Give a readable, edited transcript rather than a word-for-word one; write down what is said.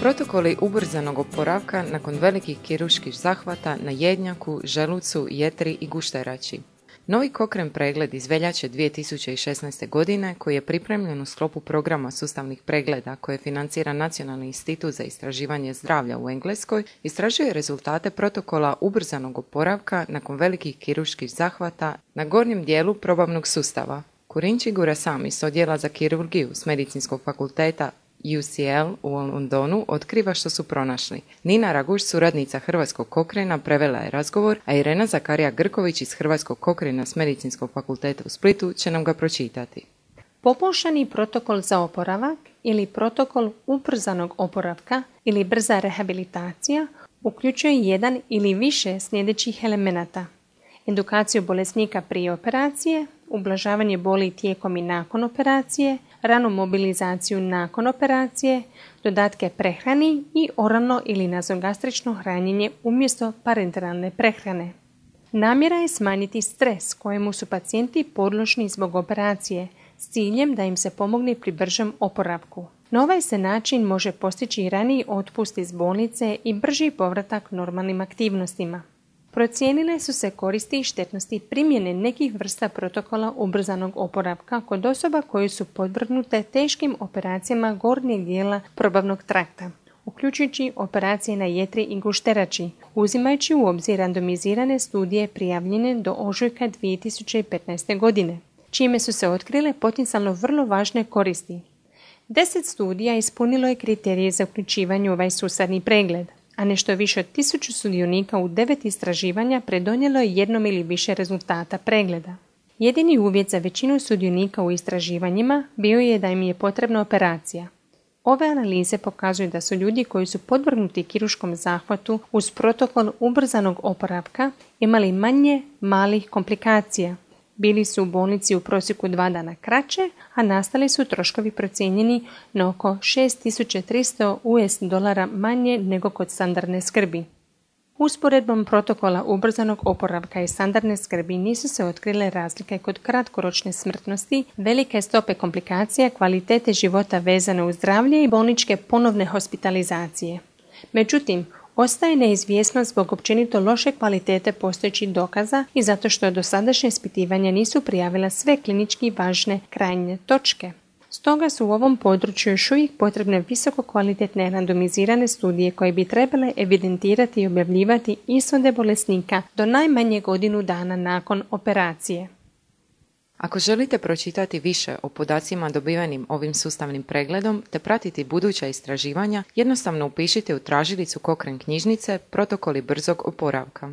Protokoli ubrzanog oporavka nakon velikih kirurških zahvata na jednjaku, želucu, jetri i gušterači. Novi Cochrane pregled iz veljače 2016. godine, koji je pripremljen u sklopu programa sustavnih pregleda koje financira Nacionalni institut za istraživanje zdravlja u Engleskoj, istražuje rezultate protokola ubrzanog oporavka nakon velikih kirurških zahvata na gornjem dijelu probavnog sustava. Kurinči Gurasami s odjela za kirurgiju s Medicinskog fakulteta UCL u Londonu otkriva što su pronašli. Nina Raguš, suradnica Hrvatskog Cochrana, prevela je razgovor, a Irena Zakarija-Grković iz Hrvatskog Cochrana s Medicinskog fakulteta u Splitu će nam ga pročitati. Poboljšani protokol za oporavak ili protokol ubrzanog oporavka ili brza rehabilitacija uključuje jedan ili više sljedećih elemenata: edukaciju bolesnika prije operacije, ublažavanje boli tijekom i nakon operacije, ranu mobilizaciju nakon operacije, dodatke prehrani i oralno ili nazogastrično hranjenje umjesto parenteralne prehrane. Namjera je smanjiti stres kojemu su pacijenti podložni zbog operacije s ciljem da im se pomogne pri bržem oporavku. Na ovaj se način može postići raniji otpust iz bolnice i brži povratak normalnim aktivnostima. Procijenile su se koristi i štetnosti primjene nekih vrsta protokola ubrzanog oporavka kod osoba koje su podvrgnute teškim operacijama gornjeg dijela probavnog trakta, uključujući operacije na jetri i gušterači, uzimajući u obzir randomizirane studije prijavljene do ožujka 2015. godine, čime su se otkrile potencijalno vrlo važne koristi. 10 studija ispunilo je kriterije za uključivanje u ovaj sustavni pregled, a nešto više od 1000 sudionika u 9 istraživanja predonijelo je jednom ili više rezultata pregleda. Jedini uvjet za većinu sudionika u istraživanjima bio je da im je potrebna operacija. Ove analize pokazuju da su ljudi koji su podvrgnuti kirurškom zahvatu uz protokol ubrzanog oporavka imali manje malih komplikacija. Bili su u bolnici u prosjeku 2 dana kraće, a nastali su troškovi procijenjeni na oko $6.300 manje nego kod standardne skrbi. Usporedbom protokola ubrzanog oporavka i standardne skrbi nisu se otkrile razlike kod kratkoročne smrtnosti, velike stope komplikacija, kvalitete života vezane uz zdravlje i bolničke ponovne hospitalizacije. Međutim, ostaje neizvjesnost zbog općenito loše kvalitete postojećih dokaza i zato što dosadašnje ispitivanja nisu prijavila sve klinički važne krajnje točke. Stoga su u ovom području još uvijek potrebne visoko kvalitetne randomizirane studije koje bi trebale evidentirati i objavljivati ishode bolesnika do najmanje godinu dana nakon operacije. Ako želite pročitati više o podacima dobivenim ovim sustavnim pregledom te pratiti buduća istraživanja, jednostavno upišite u tražilicu Cochrane knjižnice Protokoli brzog oporavka.